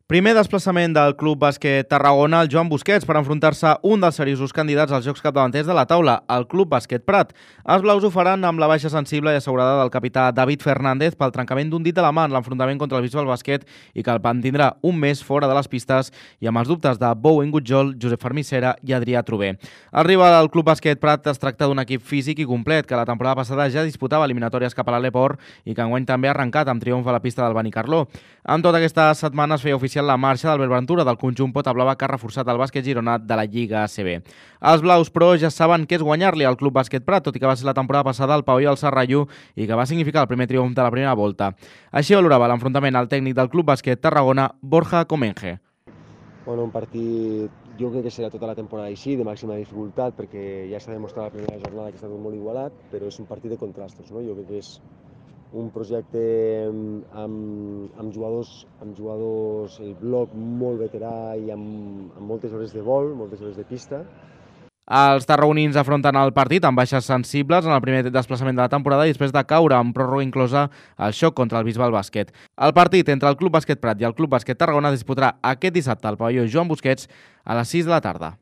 Primer desplaçament del Club Bàsquet Tarragona al Joan Busquets per enfrontar-se un dels seriosos candidats als Jocs Capdavanters de la taula, el Club Bàsquet Prat. Els blaus ho faran amb la baixa sensible i assegurada del capità David Fernández pel trencament d'un dit de la mà en l'enfrontament contra el Bisbal Bàsquet i que el mantindrà un mes fora de les pistes i amb els dubtes de Bowen Gutjol, Josep Fermissera i Adrià Trober. El rival del Club Bàsquet Prat es tracta d'un equip físic i complet que la temporada passada ja disputava eliminatòries cap a l'Aleport i que enguany també ha arrencat amb triomf a la pista del Benicarló. En tota aquesta setmana es feia oficial la marxa d'Albert Ventura del conjunt Pota Blava que ha reforçat el bàsquet gironat de la Lliga ACB. Els blaus, però, ja saben què és guanyar-li al Club Bàsquet Prat, tot i que va ser la temporada passada al pavelló del Serralló i que va significar el primer triomf de la primera volta. Així valorava l'enfrontament al tècnic del Club Bàsquet Tarragona, Borja Comenge. Bueno, un partit jo crec que serà tota la temporada així, de màxima dificultat, perquè ja s'ha demostrat la primera jornada que ha estat molt igualat, però és un partit de contrastos, no? Jo crec que és un projecte amb jugadors, el bloc molt veterà i amb moltes hores de vol, moltes hores de pista. Els tarragonins afronten el partit amb baixes sensibles en el primer desplaçament de la temporada i després de caure amb pròrroga inclosa el xoc contra el Bisbal Bàsquet. El partit entre el Club Bàsquet Prat i el Club Bàsquet Tarragona es disputarà aquest dissabte al pavelló Joan Busquets a les 6 de la tarda.